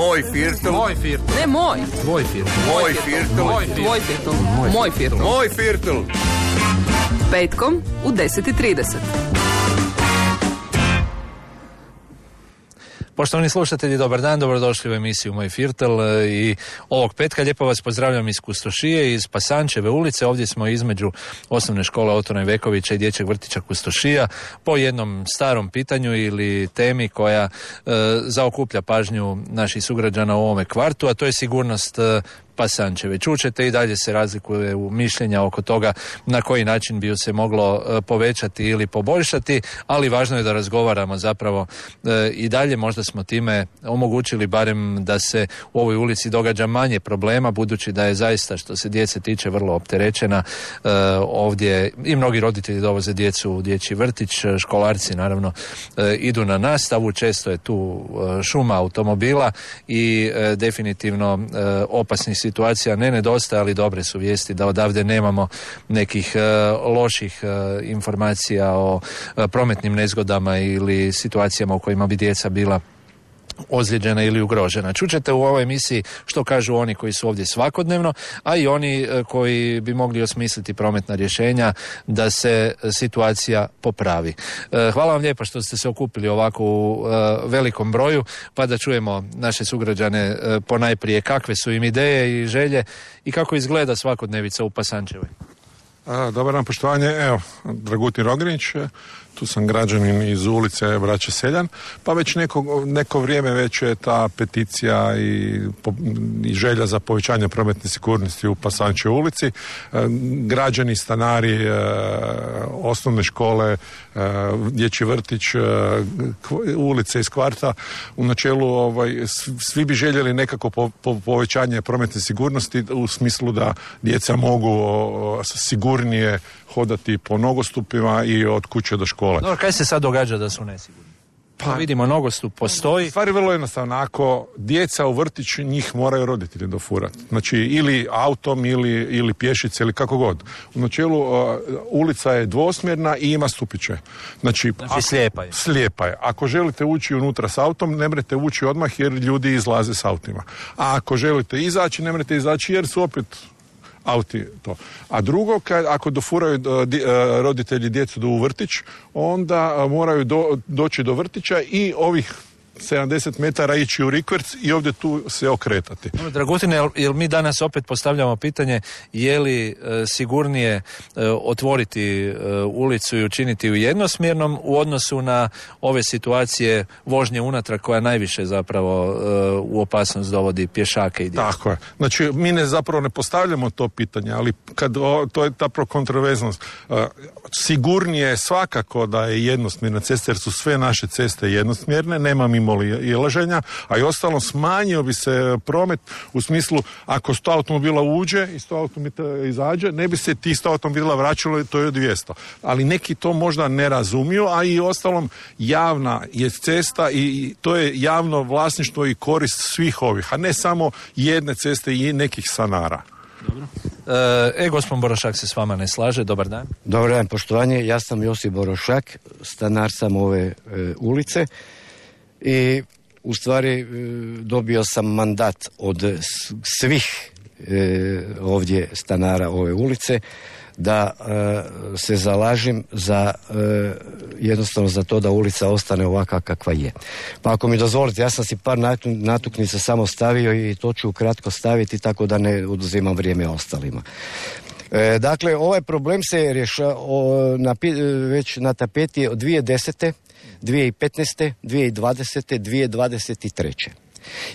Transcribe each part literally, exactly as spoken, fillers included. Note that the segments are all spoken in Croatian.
Moj firtl. Moj firtl. Ne moj. Tvoj firtl. Moj firtl. Tvoj firtl. Moj firtl. Moj firtl. Petkom u deset i trideset. Poštovani slušatelji, dobar dan, dobrodošli u emisiju Moj firtl i ovog petka lijepo vas pozdravljam iz Kustošije, iz Pasančeve ulice. Ovdje smo između osnovne škole Otona Ivekovića i dječjeg vrtića Kustošija po jednom starom pitanju ili temi koja e, zaokuplja pažnju naših sugrađana u ovome kvartu, a to je sigurnost e, Pasančeve. Čućete i dalje se razlikuje u mišljenja oko toga na koji način bi ju se moglo e, povećati ili poboljšati, ali važno je da razgovaramo zapravo e, i dalje. Možda smo time omogućili barem da se u ovoj ulici događa manje problema, budući da je zaista što se djece tiče vrlo opterećena. E, ovdje i mnogi roditelji dovoze djecu u dječji vrtić, školarci naravno e, idu na nastavu, često je tu e, šuma automobila i e, definitivno e, opasnih situacija ne nedostaje, ali dobre su vijesti da odavde nemamo nekih e, loših e, informacija o e, prometnim nezgodama ili situacijama u kojima bi djeca bila ozlijeđena ili ugrožena. Čućete u ovoj emisiji što kažu oni koji su ovdje svakodnevno, a i oni e, koji bi mogli osmisliti prometna rješenja da se situacija popravi. E, hvala vam lijepa što ste se okupili ovako u e, velikom broju, pa da čujemo naše sugrađane e, ponajprije kakve su im ideje i želje i kako izgleda svakodnevica u Pasančevoj. A, dobar dan, poštovanje. Evo, Dragutin Rogrinić, tu sam građanin iz ulice Braće Seljan, pa već neko, neko vrijeme već je ta peticija i, i želja za povećanje prometne sigurnosti u Pasančevoj ulici. E, građani, stanari, e, osnovne škole, e, dječji vrtić, e, ulice iz kvarta, u načelu ovaj, svi bi željeli nekako po, po, povećanje prometne sigurnosti u smislu da djeca mogu o, sigurnije hodati po nogostupima i od kuće do škole. Dobro, kaj se sad događa da su nesigurni? Pa vidimo, nogostup postoji. Stvar je vrlo jednostavna. Ako djeca u vrtiću, njih moraju roditelji dofurati. Znači, ili autom, ili, ili pješice, ili kako god. U načelu, uh, ulica je dvosmjerna i ima stupiće. Znači, znači ako, slijepa je. Slijepa je. Ako želite ući unutra s autom, ne mrete ući odmah jer ljudi izlaze s autima. A ako želite izaći, ne mrete izaći jer su opet auti to. A drugo, kad, ako dofuraju do, di, roditelji djecu do u vrtić, onda moraju do, doći do vrtića i ovih sedamdeset metara ići u rikverc i ovdje tu se okretati. Dragutine, jel, jel mi danas opet postavljamo pitanje je li e, sigurnije e, otvoriti e, ulicu i učiniti ju jednosmjernom u odnosu na ove situacije vožnje unatrag koja najviše zapravo e, u opasnost dovodi pješake i djecu? Tako je. Znači, mi ne zapravo ne postavljamo to pitanje, ali kad o, to je ta kontroverznost. E, sigurnije je svakako da je jednosmjerna cesta, jer su sve naše ceste jednosmjerne, nema mimo ilaženja, a i ostalo smanjio bi se promet u smislu ako sto automobila uđe i sto automobila izađe, ne bi se ti sto automobila vraćalo, to je dvjesto. Ali neki to možda ne razumiju, a i ostalom javna je cesta i to je javno vlasništvo i korist svih ovih, a ne samo jedne ceste i nekih stanara. Dobro. E, gospodin Borošak se s vama ne slaže. Dobar dan. Dobar dan, poštovanje. Ja sam Josip Borošak, stanar sam ove e, ulice. I u stvari e, dobio sam mandat od svih e, ovdje stanara ove ulice da e, se zalažem za e, jednostavno za to da ulica ostane ovakva kakva je. Pa ako mi dozvolite, ja sam si par natuknica samo stavio i to ću kratko staviti tako da ne oduzimam vrijeme ostalima. E, dakle, ovaj problem se rješava na, već na tapeti od dvije tisuće desete dvije tisuće petnaeste dvije tisuće dvadesete dvije tisuće dvadeset treće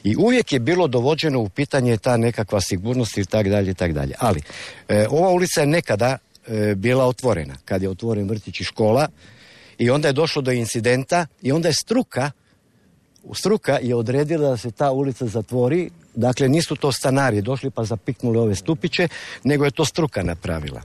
I uvijek je bilo dovođeno u pitanje ta nekakva sigurnost i tak dalje i tak dalje. Ali, e, ova ulica je nekada e, bila otvorena, kad je otvoren vrtić i škola i onda je došlo do incidenta i onda je struka, struka je odredila da se ta ulica zatvori. Dakle, nisu to stanari došli pa zapiknuli ove stupiće, nego je to struka napravila.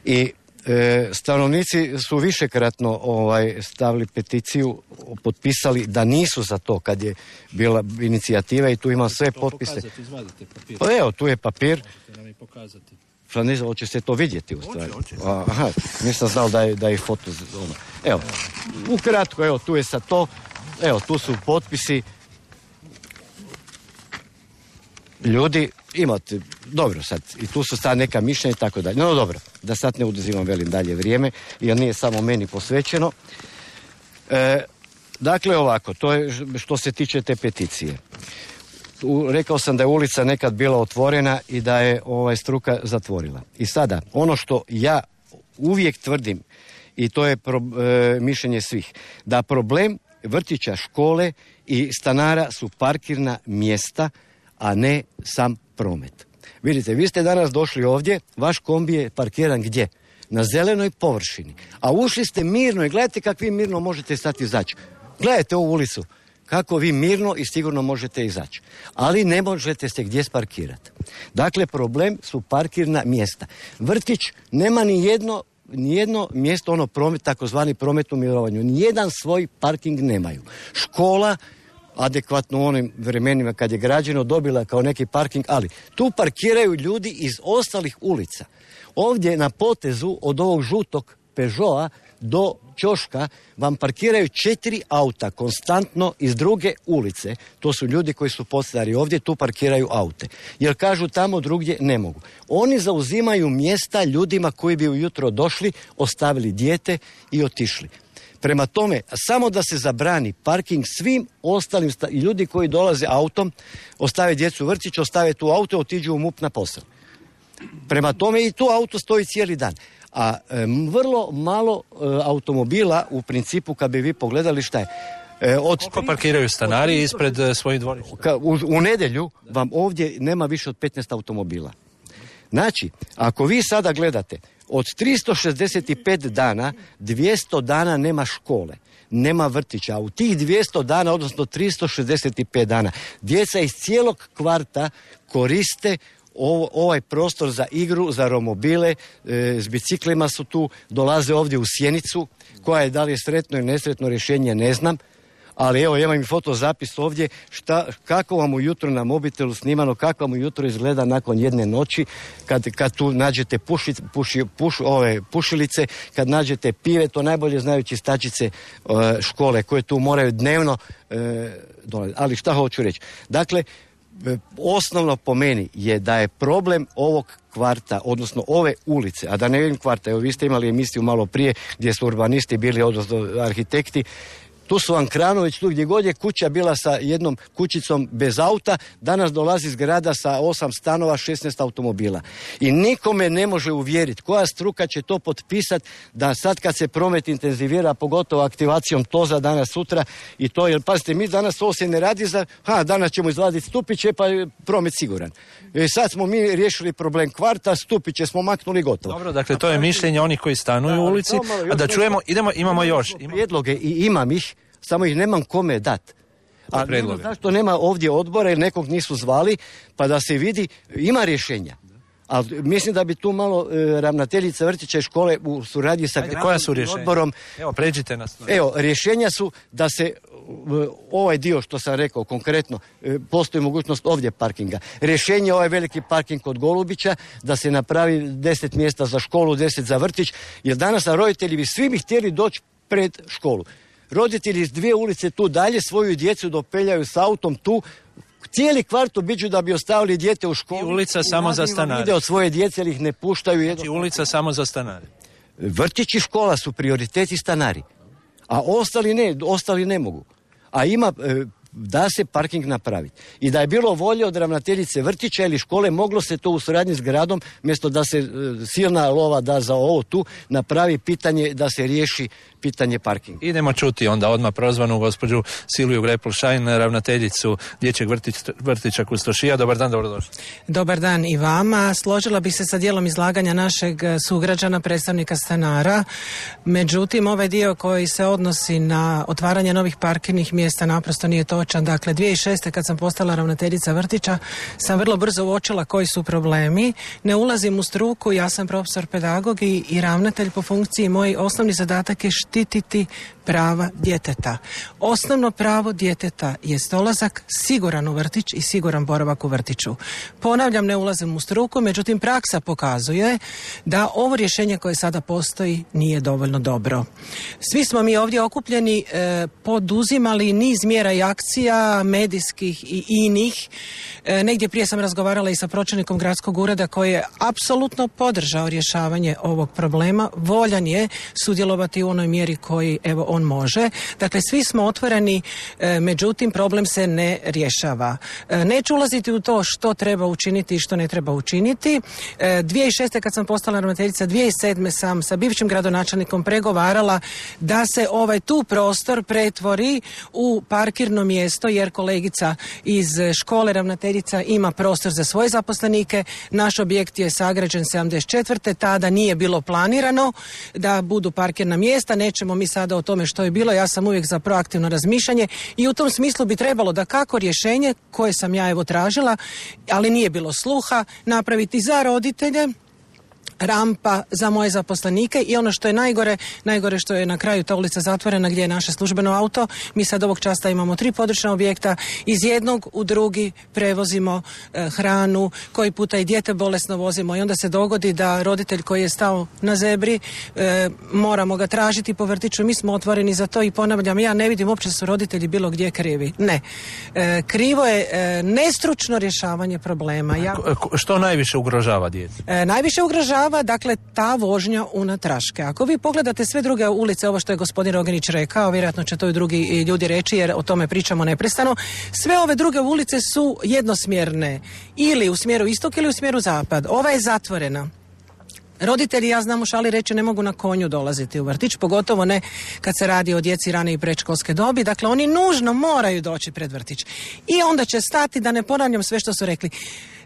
I E, stanovnici su višekratno ovaj, stavili peticiju, potpisali da nisu za to kad je bila inicijativa i tu imam sve to potpise. Pokazati, izvadite papir. Pa evo, tu je papir. Možete nam i pokazati. Šta ne znam, hoće se to vidjeti u stvari. Hoće, hoće. Aha, nisam znao da je, da je foto. Ono. Evo, ukratko, evo, tu je sad to. Evo, tu su potpisi. ljudi, imate, dobro sad, i tu su sad neka mišljenja i tako dalje. No dobro, da sad ne oduzimam velim dalje vrijeme, jer nije samo meni posvećeno. E, dakle ovako, to je što se tiče te peticije. U, rekao sam da je ulica nekad bila otvorena i da je ovaj struka zatvorila. I sada, ono što ja uvijek tvrdim, i to je pro, e, mišljenje svih, da problem vrtića, škole i stanara su parkirna mjesta, a ne sam promet. Vidite, vi ste danas došli ovdje, vaš kombi je parkiran gdje? Na zelenoj površini. A ušli ste mirno i gledajte kako vi mirno možete sad izaći. Gledajte ovu ulicu. Kako vi mirno i sigurno možete izaći. Ali ne možete se gdje sparkirati. Dakle, problem su parkirna mjesta. Vrtić nema ni jedno, ni jedno mjesto, ono promet, takozvani promet u mirovanju. Nijedan svoj parking nemaju. Škola, adekvatno u onim vremenima kad je građeno, dobila kao neki parking, ali tu parkiraju ljudi iz ostalih ulica. Ovdje na potezu od ovog žutog Peugeota do ćoška vam parkiraju četiri auta konstantno iz druge ulice. To su ljudi koji su podstari ovdje, tu parkiraju aute. Jer kažu tamo drugdje ne mogu. Oni zauzimaju mjesta ljudima koji bi ujutro došli, ostavili dijete i otišli. Prema tome, samo da se zabrani parking svim ostalim sta- ljudi koji dolaze autom, ostave djecu u vrtić, ostave tu auto, otiđu u MUP na posao. Prema tome i tu auto stoji cijeli dan. A e, vrlo malo e, automobila u principu, kad bi vi pogledali šta je. E, od Koliko parkiraju stanari od ispred e, svojih dvorišta? Ka, u, u nedjelju vam ovdje nema više od petnaest automobila. Znači, ako vi sada gledate, od tristo šezdeset pet dana, dvjesto dana nema škole, nema vrtića, a u tih dvjesto dana, odnosno tristo šezdeset pet dana, djeca iz cijelog kvarta koriste Ovo, ovaj prostor za igru, za romobile, e, s biciklima su tu, dolaze ovdje u Sjenicu, koja je da li je sretno ili nesretno rješenje, ne znam, ali evo, imam i fotozapis ovdje, šta, kako vam ujutro na mobitelu snimano, kako vam ujutro izgleda nakon jedne noći, kad, kad tu nađete puši, puši, puš, ove, pušilice, kad nađete pive, to najbolje znaju čistačice e, škole, koje tu moraju dnevno e, dolaziti. Ali šta hoću reći? Dakle, osnovno po meni je da je problem ovog kvarta, odnosno ove ulice, a da ne vidim kvarta, evo vi ste imali emisiju malo prije gdje su urbanisti bili, odnosno arhitekti, tu su vam Kranović, tu gdje god je kuća bila sa jednom kućicom bez auta, danas dolazi zgrada sa osam stanova, šesnaest automobila. I nikome ne može uvjeriti koja struka će to potpisati da sad kad se promet intenzivira, pogotovo aktivacijom toza danas sutra i to, jer pazite, mi danas ovo se ne radi za, ha, danas ćemo izvaditi stupiće pa je promet siguran. I sad smo mi riješili problem kvarta, stupiće smo maknuli gotovo. Dobro, dakle to je mišljenje onih koji stanuju u ulici, a da čujemo, idemo, imamo još. Imamo prijedloge i imam ih, samo ih nemam kome dat. A nema, zašto nema ovdje odbora ili nekog nisu zvali, pa da se vidi, ima rješenja. Ali mislim da bi tu malo e, ravnateljica vrtića i škole u suradnji sa Ajde, koja su rješenja? Odborom. Evo, pređite nas. Evo, rješenja su da se e, ovaj dio što sam rekao konkretno, e, postoji mogućnost ovdje parkinga. Rješenje je ovaj veliki parking kod Golubića, da se napravi deset mjesta za školu, deset za vrtić, jer danas roditelji bi svi bi htjeli doći pred školu. Roditelji iz dvije ulice tu dalje svoju djecu dopeljaju s autom tu, cijeli kvart obiđu da bi ostavili dijete u školu. I ulica samo za stanare. Ide od svoje djece jer ih ne puštaju. Znači ulica samo za stanare. Vrtić i škola su prioriteti stanari. A ostali ne, ostali ne mogu. A ima, da se parking napraviti. I da je bilo volje od ravnateljice vrtića ili škole, moglo se to u suradnji s gradom, mjesto da se silna lova da za ovo tu, napravi pitanje da se riješi pitanje parkinga. Idemo čuti onda odmah prozvanu gospođu Silviju Grepl-Šajn, ravnateljicu dječjeg vrtić, vrtića Kustošija. Dobar dan, dobrodošli. Dobar dan i vama. Složila bih se sa dijelom izlaganja našeg sugrađana, predstavnika stanara. Međutim, ovaj dio koji se odnosi na otvaranje novih parkirnih mjesta naprosto nije točan. Dakle, dvije tisuće šeste kad sam postala ravnateljica vrtića, sam vrlo brzo uočila koji su problemi. Ne ulazim u struku, ja sam profesor pedagog i, i ravnatelj po funkciji. Moj osnovni zadatak je štititi prava djeteta. Osnovno pravo djeteta je dolazak siguran u vrtić i siguran boravak u vrtiću. Ponavljam, ne ulazim u struku, međutim praksa pokazuje da ovo rješenje koje sada postoji nije dovoljno dobro. Svi smo mi ovdje okupljeni e, poduzimali niz mjera i akcija medijskih i inih. E, negdje prije sam razgovarala i sa pročelnikom gradskog ureda koji je apsolutno podržao rješavanje ovog problema. Voljan je sudjelovati u onoj mjeri koji evo on može. Dakle, svi smo otvoreni, e, međutim problem se ne rješava. E, neću ulaziti u to što treba učiniti i što ne treba učiniti. E, dvije tisuće šeste kad sam postala ravnateljica, dvije tisuće sedme sam sa bivšim gradonačelnikom pregovarala da se ovaj tu prostor pretvori u parkirno mjesto, jer kolegica iz škole ravnateljica ima prostor za svoje zaposlenike. Naš objekt je sagrađen sedamdeset četvrte Tada nije bilo planirano da budu parkirna mjesta. Nećemo mi sada o tome što je bilo. Ja sam uvijek za proaktivno razmišljanje i u tom smislu bi trebalo da kako rješenje koje sam ja evo tražila, ali nije bilo sluha, napraviti za roditelje rampa za moje zaposlenike i ono što je najgore, najgore što je na kraju ta ulica zatvorena gdje je naše službeno auto. Mi sad ovog časa imamo tri područna objekta, iz jednog u drugi prevozimo e, hranu, koji puta i dijete bolesno vozimo i onda se dogodi da roditelj koji je stao na zebri e, moramo ga tražiti po vrtiću. Mi smo otvoreni za to i ponavljam, ja ne vidim uopće su roditelji bilo gdje krivi. Ne. E, krivo je e, nestručno rješavanje problema. Ja, što najviše ugrožava djecu? E, najviše ugrožava dakle ta vožnja unatraške. Ako vi pogledate sve druge ulice, ovo što je gospodin Rogenić rekao, vjerojatno će to i drugi ljudi reći jer o tome pričamo neprestano, sve ove druge ulice su jednosmjerne, ili u smjeru istok ili u smjeru zapad. Ova je zatvorena. Roditelji, ja znam u šali reći, ne mogu na konju dolaziti u vrtić, pogotovo ne kad se radi o djeci rane i predškolske dobi. Dakle, oni nužno moraju doći pred vrtić. I onda će stati, da ne ponavljam sve što su rekli.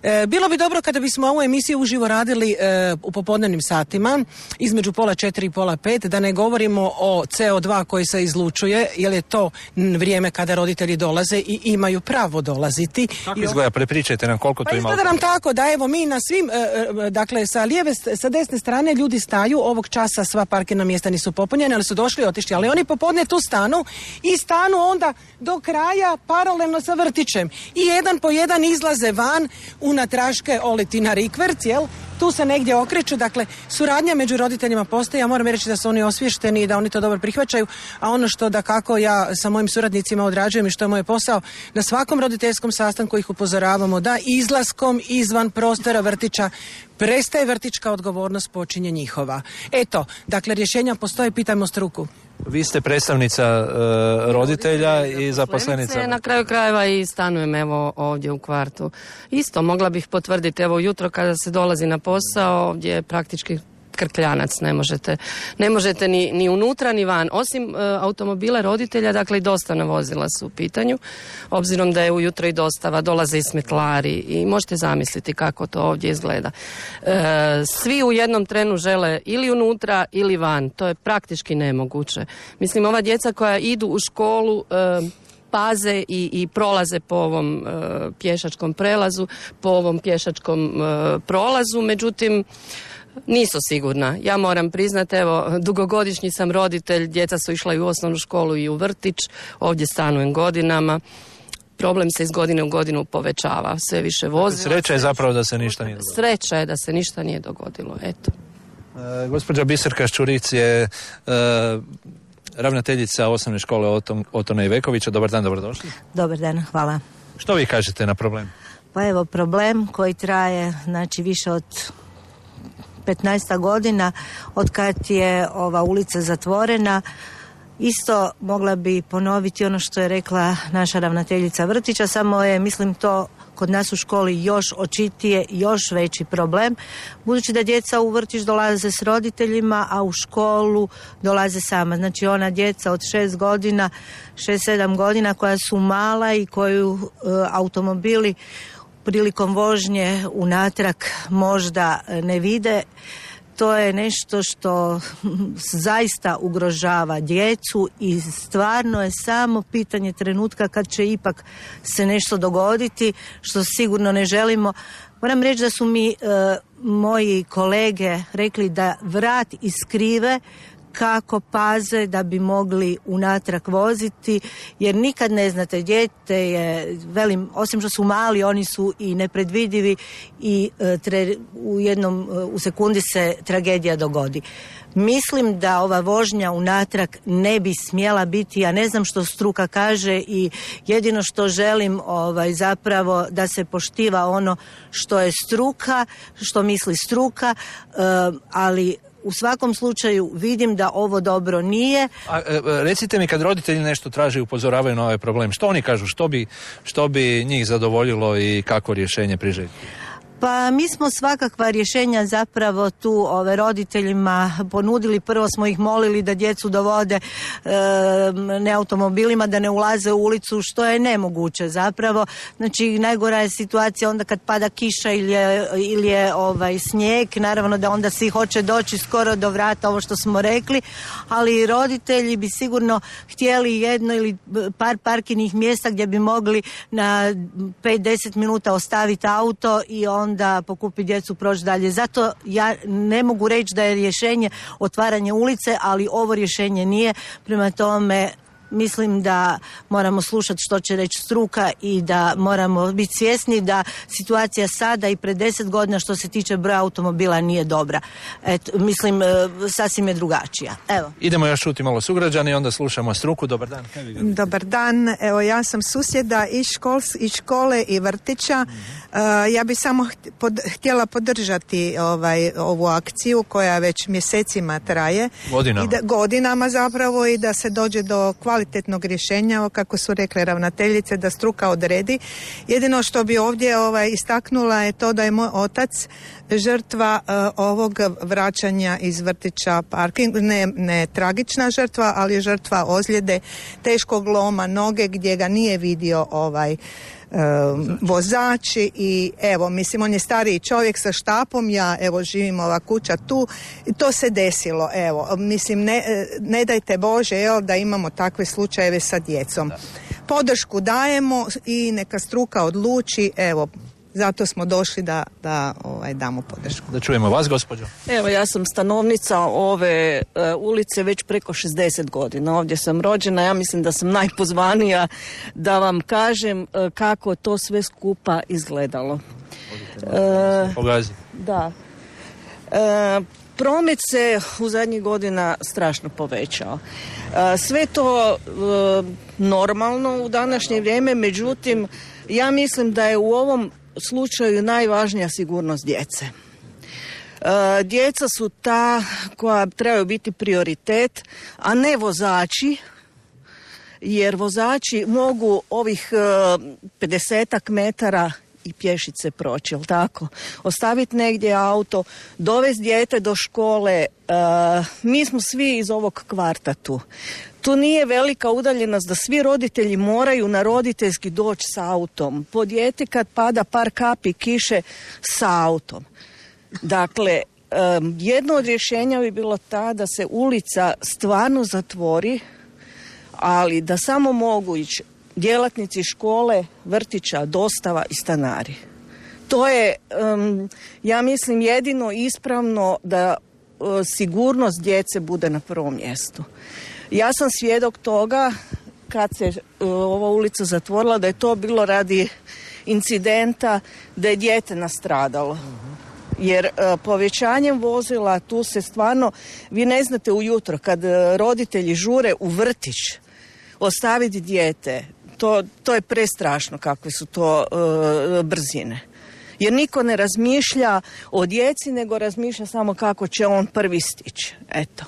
E, bilo bi dobro kada bismo ovu emisiju uživo radili e, u popodnevnim satima, između pola četiri i pola pet, da ne govorimo o ce o dva koji se izlučuje, jer je to vrijeme kada roditelji dolaze i imaju pravo dolaziti. Kako izgleda? Prepričajte nam koliko pa to ima. Pa izgleda nam tako da evo mi na svim, e, dakle sa lijeve, sa desne strane ljudi staju, ovog časa sva parkirna mjesta nisu popunjene, ali su došli i otišli, ali oni popodne tu stanu i stanu onda do kraja paralelno sa vrtićem. I jedan po jedan izlaze van unatraške oliti na rikverc, jel? Tu se negdje okreću, dakle, suradnja među roditeljima postoji, ja moram reći da su oni osvješteni i da oni to dobro prihvaćaju, a ono što da kako ja sa mojim suradnicima odrađujem i što je moj posao, na svakom roditeljskom sastanku ih upozoravamo da izlaskom izvan prostora vrtića prestaje vrtićka odgovornost, počinje njihova. Eto, dakle, rješenja postoje, pitajmo struku. Vi ste predstavnica uh, roditelja i zaposlenica. Na kraju krajeva i stanujem evo ovdje u kvartu. Isto mogla bih potvrditi, evo jutro kada se dolazi na posao, ovdje je praktički krkljanac, ne možete, ne možete ni, ni unutra ni van. Osim e, automobila roditelja, dakle i dostavna vozila su u pitanju, obzirom da je ujutro i dostava, dolaze i smetlari i možete zamisliti kako to ovdje izgleda. E, svi u jednom trenu žele ili unutra ili van, to je praktički nemoguće. Mislim, ova djeca koja idu u školu e, paze i, i prolaze po ovom e, pješačkom prelazu, po ovom pješačkom e, prolazu, međutim nisu sigurna. Ja moram priznati, evo, dugogodišnji sam roditelj, djeca su išla i u osnovnu školu i u vrtić, ovdje stanujem godinama. Problem se iz godine u godinu povećava, sve više vozila. Sreća je zapravo da se ništa nije dogodilo. Sreća je da se ništa nije dogodilo, eto. E, gospođa Biserka Ščuric je e, ravnateljica osnovne škole Oton, Otona Ivekovića. Dobar dan, dobrodošli. Dobar dan, hvala. Što vi kažete na problem? Pa evo, problem koji traje, znači, više od petnaest godina od kad je ova ulica zatvorena. Isto mogla bi ponoviti ono što je rekla naša ravnateljica vrtića, samo je, mislim, to kod nas u školi još očitije, još veći problem, budući da djeca u vrtić dolaze s roditeljima, a u školu dolaze sama. Znači ona djeca od šest godina, šest, sedam godina koja su mala i koju e, automobili prilikom vožnje unatrag možda ne vide, to je nešto što zaista ugrožava djecu i stvarno je samo pitanje trenutka kad će ipak se nešto dogoditi, što sigurno ne želimo. Moram reći da su mi e, moji kolege rekli da vrat iskrive kako paze da bi mogli unatrag voziti, jer nikad ne znate, dijete je, velim, osim što su mali, oni su i nepredvidivi i e, tre, u jednom, u sekundi se tragedija dogodi. Mislim da ova vožnja unatrag ne bi smjela biti, ja ne znam što struka kaže i jedino što želim ovaj, zapravo da se poštiva ono što je struka, što misli struka, e, ali u svakom slučaju vidim da ovo dobro nije. A, e, recite mi, kad roditelji nešto traže i upozoravaju na ovaj problem, što oni kažu, što bi, što bi njih zadovoljilo i kako rješenje priželjeti? Pa mi smo svakakva rješenja zapravo tu ove roditeljima ponudili. Prvo smo ih molili da djecu dovode e, ne automobilima, da ne ulaze u ulicu, što je nemoguće zapravo. Znači najgora je situacija onda kad pada kiša ili je, ili je ovaj, snijeg, naravno da onda svi hoće doći skoro do vrata, ovo što smo rekli, ali roditelji bi sigurno htjeli jedno ili par parkirnih mjesta gdje bi mogli na pet do deset minuta ostaviti auto i on onda pokupi djecu, proći dalje. Zato ja ne mogu reći da je rješenje otvaranje ulice, ali ovo rješenje nije. Prema tome mislim da moramo slušati što će reći struka i da moramo biti svjesni da situacija sada i pred deset godina što se tiče broja automobila nije dobra. Et, mislim, sasvim je drugačija. Evo. Idemo još čuti malo sugrađani i onda slušamo struku. Dobar dan. Dobar dan. Evo, ja sam susjeda i, škol, i škole i vrtića. Mm-hmm. Uh, ja bi samo pod, htjela podržati ovaj, ovu akciju koja već mjesecima traje. Godinama. I da, godinama zapravo i da se dođe do kvalitetnog rješenja, kako su rekle ravnateljice, da struka odredi. Jedino što bi ovdje ovaj, istaknula je to da je moj otac žrtva uh, ovog vraćanja iz vrtića parking, ne, ne tragična žrtva, ali žrtva ozljede, teškog loma noge gdje ga nije vidio ovaj Um, vozači i evo, mislim, on je stariji čovjek sa štapom, ja evo živim ova kuća tu i to se desilo, evo, mislim, ne, ne dajte Bože, jel, da imamo takve slučajeve sa djecom. Podršku dajemo i neka struka odluči, evo, zato smo došli da, da ovaj, damo podršku. Da čujemo vas, gospođo. Evo, ja sam stanovnica ove uh, ulice već preko šezdeset godina. Ovdje sam rođena, ja mislim da sam najpozvanija da vam kažem uh, kako to sve skupa izgledalo. Uh, Pogazi. Da. Uh, promet se u zadnjih godina strašno povećao. Uh, sve to uh, normalno u današnje vrijeme, međutim, ja mislim da je u ovom slučaju najvažnija sigurnost djece. E, djeca su ta koja trebaju biti prioritet, a ne vozači, jer vozači mogu ovih e, pedesetak metara i pješice proći, jel tako? Ostaviti negdje auto, dovesti dijete do škole. E, mi smo svi iz ovog kvarta tu. Tu nije velika udaljenost da svi roditelji moraju na roditeljski doći s autom. Po dijete kad pada par kapi kiše sa autom. Dakle, jedno od rješenja bi bilo ta da se ulica stvarno zatvori, ali da samo mogu ići djelatnici škole, vrtića, dostava i stanari. To je, ja mislim, jedino ispravno da sigurnost djece bude na prvom mjestu. Ja sam svjedok toga kad se uh, ova ulica zatvorila, da je to bilo radi incidenta da je dijete nastradalo. Jer uh, povećanjem vozila tu se stvarno, vi ne znate ujutro kad uh, roditelji žure u vrtić ostaviti dijete, to, to je prestrašno kakve su to uh, brzine. Jer niko ne razmišlja o djeci, nego razmišlja samo kako će on prvi stići. Eto.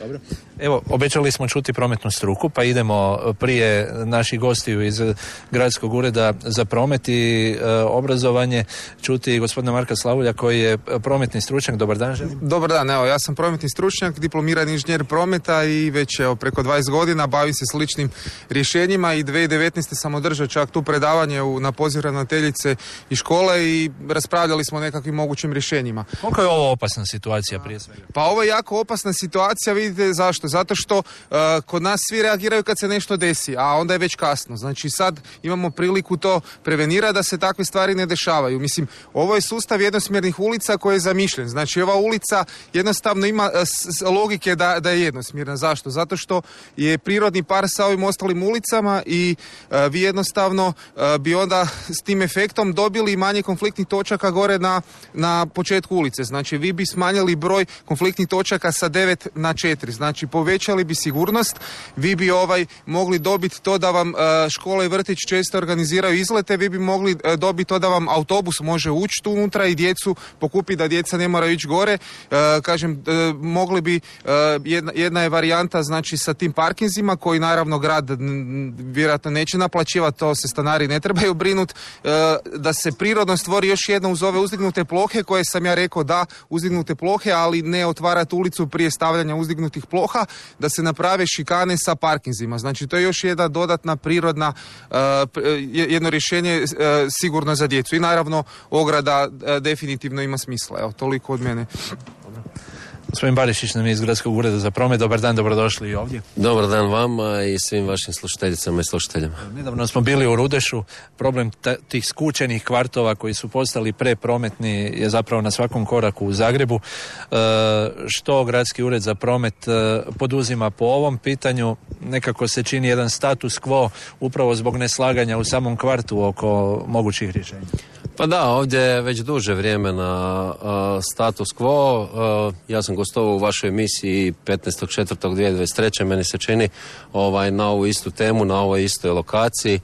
Dobro. Evo, obećali smo čuti prometnu struku, pa idemo prije naših gostiju iz Gradskog ureda za promet i e, obrazovanje čuti gospodina Marka Slavulja koji je prometni stručnjak. Dobar dan, želim. Dobar dan, evo, ja sam prometni stručnjak, diplomirani inženjer prometa i već evo, preko dvadeset godina bavim se sličnim rješenjima i dvije tisuće devetnaeste. sam održao čak tu predavanje u, na poziv ravnateljice i škole i raspravljali smo o nekakvim mogućim rješenjima. Koliko je ovo opasna situacija prije svega? Pa ovo je jako opasna situacija, vidite zašto? Zašto? Zato što uh, kod nas svi reagiraju kad se nešto desi, a onda je već kasno. Znači sad imamo priliku to prevenirati da se takve stvari ne dešavaju. Mislim, ovo je sustav jednosmjernih ulica koji je zamišljen. Znači ova ulica jednostavno ima uh, s, logike da, da je jednosmjerna. Zašto? Zato što je prirodni par sa ovim ostalim ulicama i uh, vi jednostavno uh, bi onda s tim efektom dobili manje konfliktnih točaka gore na, na početku ulice. Znači vi bi smanjili broj konfliktnih točaka sa devet na četiri. Znači povećali bi sigurnost, vi bi ovaj mogli dobiti to da vam uh, škola i vrtić često organiziraju izlete, vi bi mogli uh, dobiti to da vam autobus može ući tu unutra i djecu pokupiti da djeca ne moraju ići gore. Uh, kažem, uh, mogli bi, uh, jedna, jedna je varijanta znači sa tim parkinzima koji naravno grad n, vjerojatno neće naplaćivati, to se stanari ne trebaju brinuti, uh, da se prirodno stvori još jedna uz ove uzdignute plohe koje sam ja rekao da uzdignute plohe, ali ne otvarati ulicu prije stavljanja uzdignutih ploha, da se naprave šikane sa parkinzima. Znači to je još jedna dodatna prirodna uh, jedno rješenje uh, sigurno za djecu. I naravno ograda uh, definitivno ima smisla. Evo, toliko od mene. Gospodin Barišić nam je iz Gradskog ureda za promet. Dobar dan, dobrodošli i ovdje. Dobar dan vama i svim vašim slušateljicama i slušateljima. Nedavno smo bili u Rudešu. Problem t- tih skučenih kvartova koji su postali preprometni je zapravo na svakom koraku u Zagrebu. E, što Gradski ured za promet e, poduzima po ovom pitanju? Nekako se čini jedan status quo upravo zbog neslaganja u samom kvartu oko mogućih rješenja. Pa da, ovdje je već duže vrijeme na uh, status quo. Uh, ja sam gostovao u vašoj emisiji petnaestog četvrtog dvije tisuće dvadeset treće Meni se čini ovaj, na ovu istu temu, na ovoj istoj lokaciji.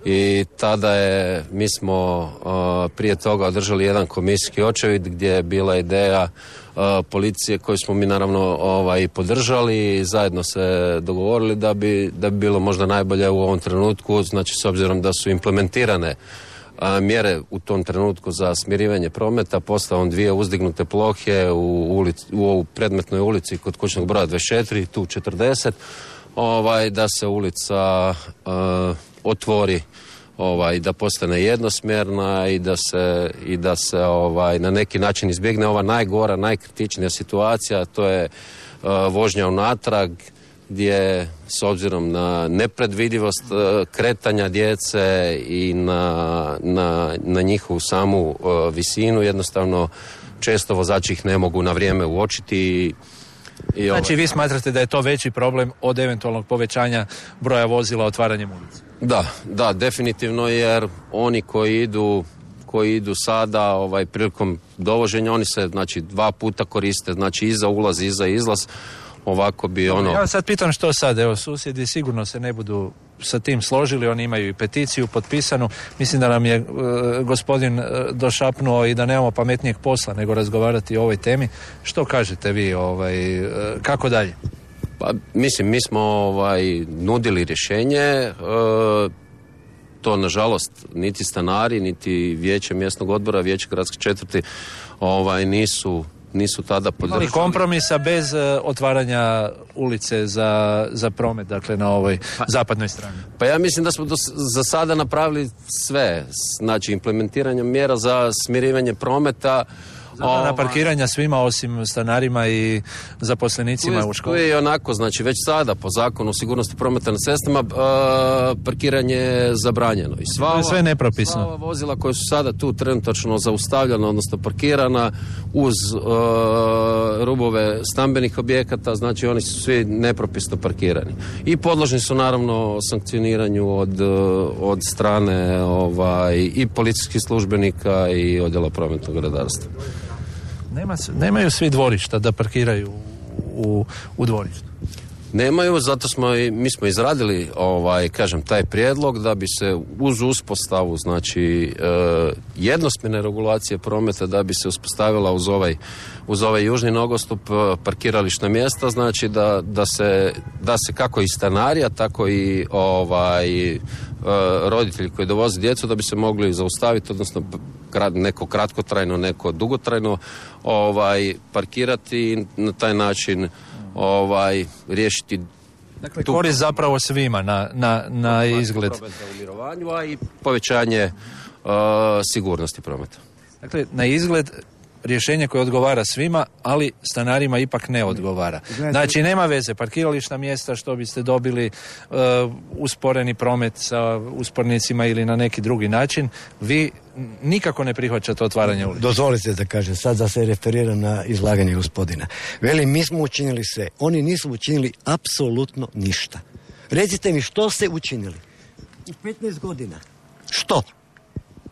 I tada je, mi smo uh, prije toga održali jedan komisijski očevid gdje je bila ideja uh, policije koju smo mi naravno ovaj, podržali i zajedno se dogovorili da bi, da bi bilo možda najbolje u ovom trenutku, znači s obzirom da su implementirane A, mjere u tom trenutku za smirivanje prometa, postavom dvije uzdignute plohe u, ulic, u ovu predmetnoj ulici kod kućnog broja dvadeset četiri, tu četrdeset, ovaj, da se ulica uh, otvori, ovaj, da postane jednosmjerna i da se, i da se ovaj, na neki način izbjegne ova najgora, najkritičnija situacija, to je uh, vožnja unatrag, gdje s obzirom na nepredvidivost uh, kretanja djece i na, na, na njihovu samu uh, visinu, jednostavno često vozači ih ne mogu na vrijeme uočiti. I, i znači ovaj... vi smatrate da je to veći problem od eventualnog povećanja broja vozila otvaranjem ulice? Da, da, definitivno, jer oni koji idu koji idu sada ovaj, prilikom dovoženja, oni se znači dva puta koriste, znači i za ulaz i za izlaz. Ovako bi ono... Ja sad pitam što sad, evo susjedi sigurno se ne budu sa tim složili, oni imaju i peticiju potpisanu, mislim da nam je e, gospodin e, došapnuo i da nemamo pametnijeg posla nego razgovarati o ovoj temi. Što kažete vi, ovaj, e, kako dalje? Pa mislim, mi smo ovaj, nudili rješenje, e, to nažalost niti stanari, niti vijeće mjesnog odbora, vijeće gradske četvrti ovaj, nisu nisu tada podržali. Ali kompromisa bez uh, otvaranja ulice za, za promet, dakle na ovoj pa, zapadnoj strani. Pa ja mislim da smo do, za sada napravili sve, znači implementiranjem mjera za smirivanje prometa. Zabrana parkiranja svima osim stanarima i zaposlenicima je, u školi. Tu je i onako, znači već sada po zakonu o sigurnosti prometa na cestama uh, parkiranje je zabranjeno. I sva to je sve nepropisno. Sva ova vozila koja su sada tu trenutačno zaustavljena, odnosno parkirana uz uh, rubove stambenih objekata, znači oni su svi nepropisno parkirani. I podložni su naravno sankcioniranju od, od strane ovaj, i policijskih službenika i odjela prometnog redarstva. Nema, nemaju svi dvorišta da parkiraju u, u dvorištu. Nemaju, zato smo i, mi smo izradili ovaj, kažem, taj prijedlog da bi se uz uspostavu, znači e, jednosmjerne regulacije prometa, da bi se uspostavila uz ovaj, uz ovaj južni nogostup parkirališna mjesta, znači da, da, se, da se kako i stanarija, tako i ovaj, e, roditelji koji dovoze djecu, da bi se mogli zaustaviti, odnosno neko kratkotrajno, neko dugotrajno ovaj, parkirati i na taj način ovaj, riješiti. Dakle, korist zapravo svima na, na, na izgled. A i povećanje uh, sigurnosti prometa. Dakle, na izgled rješenje koje odgovara svima, ali stanarima ipak ne odgovara. Znači, nema veze, parkirališna mjesta što biste dobili, uh, usporeni promet sa uspornicima ili na neki drugi način, vi nikako ne prihvaćate otvaranje ulica. Dozvolite da kažem, sad da se referiram na izlaganje gospodina. Veli, mi smo učinili sve, oni nisu učinili apsolutno ništa. Recite mi, što ste učinili? U petnaest godina. Što?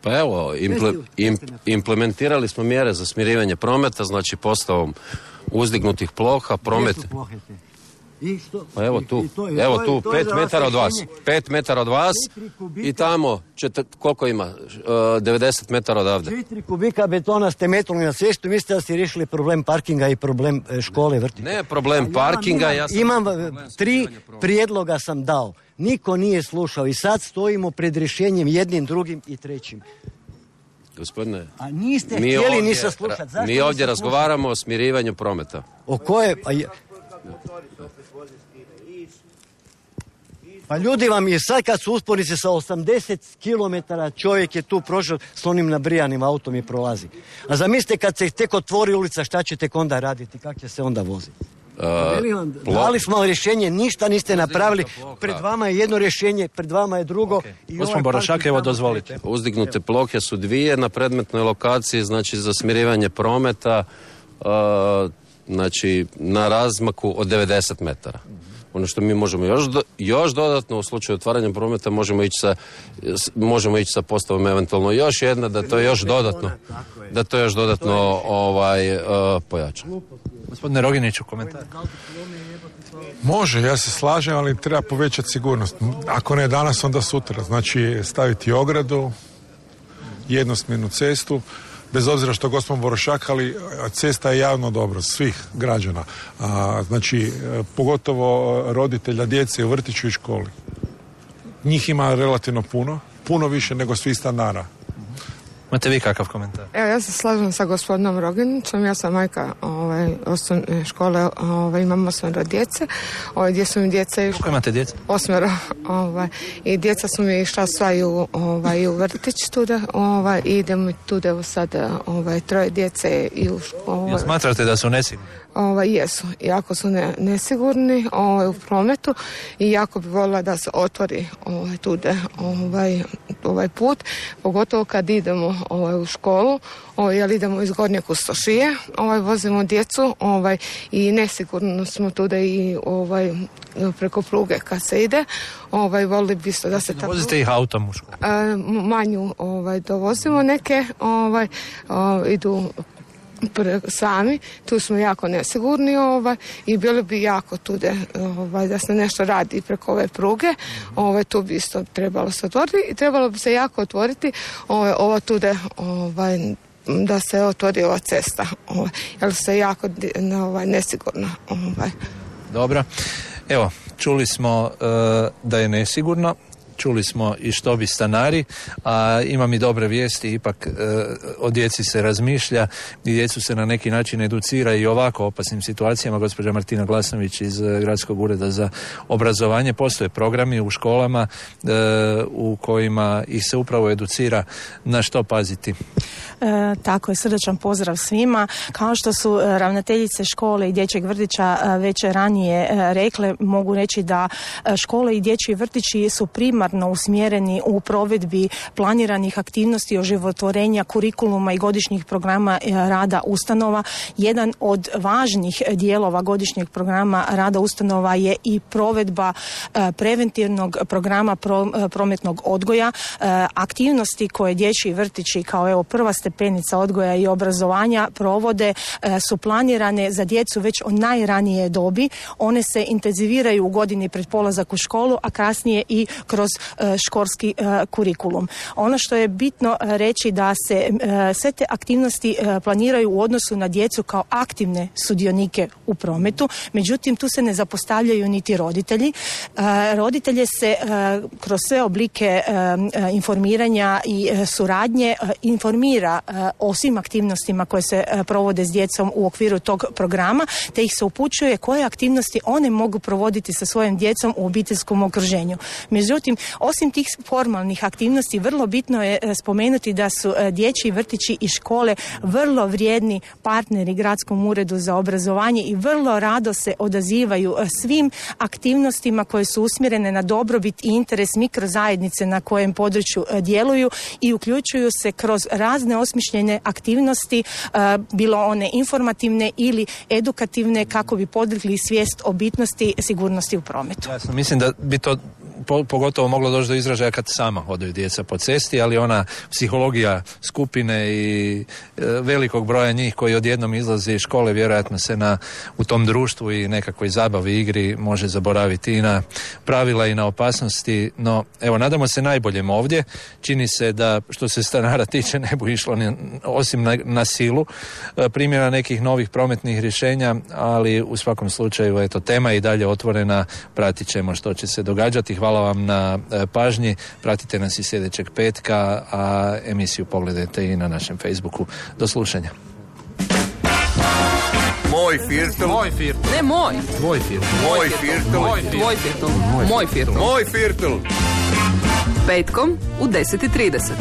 Pa evo, imple, im, implementirali smo mjere za smirivanje prometa, znači postavom uzdignutih ploha, promet... I što? Pa evo tu, I, i to, i evo to, tu, to pet metara od vas, pet metara od vas i tamo, čete, koliko ima, uh, devedeset metara odavde. Četiri kubika betona ste metnuli na cestu, mislite da ste riješili problem parkinga i problem škole, vrtića? Ne problem parkinga, ja, ja sam... Imam, imam tri prijedloga sam dao, niko nije slušao i sad stojimo pred rješenjem jednim, drugim i trećim. Gospodine, a niste mi htjeli ovdje, ni saslušati. Mi ovdje razgovaramo o smirivanju prometa. O koje? Pa, je... pa ljudi vam je sad kad su uspornice sa osamdeset kilometara čovjek je tu prošao s onim nabrijanim autom i prolazi. A zamislite kad se tek otvori ulica šta će tek onda raditi, kako će se onda voziti? Uh, Dali smo rješenje, ništa niste napravili, pred vama je jedno rješenje, pred vama je drugo. Okay. Gospodin ovaj Borošak, evo dozvolite. Uzdignute plohe su dvije na predmetnoj lokaciji, znači za smirivanje prometa, uh, znači na razmaku od devedeset metara. Ono što mi možemo još, do, još dodatno u slučaju otvaranja prometa možemo ići sa, možemo ići sa postavom eventualno još jedna, da to još dodatno, da to još dodatno ovaj, uh, pojača. Gospodine Roginiću, komentar. Može, ja se slažem, ali treba povećati sigurnost. Ako ne danas, onda sutra. Znači staviti ogradu, jednosmjernu cestu, bez obzira što gospodin Borošak, ali cesta je javno dobro svih građana. A, znači, pogotovo roditelja djece u vrtiću i školi. Njih ima relativno puno, puno više nego svih stanara. Imate vi kakav komentar? Evo, ja se slažem sa gospodinom Roginićem, ja sam majka ovaj, osnovne škole, ovaj, imam osmero djece, ovaj, gdje su mi djeca išla... Koliko imate djece? Osmero, ovaj, i djeca su mi išla sva i u, ovaj, u vrtić tuda, ovaj, i idemo tuda, evo sada, ovaj, troje djece i u školu. Jel smatrate da su nesigurni? Ovaj, jesu, jako su ne, nesigurni ovaj, u prometu i jako bi voljela da se otvori ovaj, tude, ovaj, ovaj put, pogotovo kad idemo ovaj, u školu, ovaj, jer idemo iz Gornje Kustošije, ovaj, vozimo djecu ovaj, i nesigurno smo tude i ovaj, preko pruge kad se ide, ovaj, volili bi isto da se tako... Vozite ih autom u školu? Manju ovaj, dovozimo neke, ovaj, ovaj, idu sami, tu smo jako nesigurni ovaj, i bili bi jako tude ovaj, da se nešto radi preko ove pruge, ovaj, tu bi isto trebalo se otvoriti i trebalo bi se jako otvoriti ovaj, ovo tude ovaj, da se otvori ova cesta, ovaj, jer se jako ovaj, nesigurno. Ovaj. Dobro, evo, čuli smo uh, da je nesigurno. Čuli smo i što bi stanari, a imam i dobre vijesti, ipak e, o djeci se razmišlja i djecu se na neki način educira i ovako opasnim situacijama. Gospođa Martina Glasnović iz Gradskog ureda za obrazovanje, postoje programi u školama e, u kojima ih se upravo educira na što paziti. E, tako je, srdačan pozdrav svima. Kao što su ravnateljice škole i dječjeg vrtića već ranije rekle, mogu reći da škole i dječji vrtići su primarno usmjereni u provedbi planiranih aktivnosti oživotvorenja kurikuluma i godišnjih programa rada ustanova. Jedan od važnih dijelova godišnjeg programa rada ustanova je i provedba preventivnog programa prometnog odgoja. Aktivnosti koje dječji vrtići kao evo prva stepenica odgoja i obrazovanja provode su planirane za djecu već od najranije dobi. One se intenziviraju u godini pred polazak u školu, a kasnije i kroz školski kurikulum. Ono što je bitno reći da se sve te aktivnosti planiraju u odnosu na djecu kao aktivne sudionike u prometu, međutim tu se ne zapostavljaju niti roditelji. Roditelje se kroz sve oblike informiranja i suradnje informira o svim aktivnostima koje se provode s djecom u okviru tog programa, te ih se upućuje koje aktivnosti one mogu provoditi sa svojim djecom u obiteljskom okruženju. Međutim, Osim tih formalnih aktivnosti, vrlo bitno je e, spomenuti da su e, dječji vrtići i škole vrlo vrijedni partneri Gradskom uredu za obrazovanje i vrlo rado se odazivaju e, svim aktivnostima koje su usmjerene na dobrobit i interes mikrozajednice na kojem području e, djeluju i uključuju se kroz razne osmišljene aktivnosti, e, bilo one informativne ili edukativne, kako bi podigli svijest o bitnosti sigurnosti u prometu. Jasno, mislim da bi to po, pogotovo moglo doći do izražaja kad sama hodaju djeca po cesti, ali ona psihologija skupine i e, velikog broja njih koji odjednom izlaze iz škole, vjerojatno se na, u tom društvu i nekakvoj zabavi, igri može zaboraviti i na pravila i na opasnosti, no evo, nadamo se najboljem ovdje. Čini se da što se stanara tiče ne bu išlo ni, osim na, na silu e, primjera nekih novih prometnih rješenja, ali u svakom slučaju eto, tema je i dalje otvorena, pratit ćemo što će se događati. Hvala vam na e, pažnji, pratite nas i sljedećeg petka, a emisiju pogledajte i na našem Facebooku. Do slušanja. Moj firtel. Moj firtel. Ne moj. Tvoj firtel. Moj firtel. Moj firtel. Moj firtel. Moj firtel. Petkom u deset i trideset.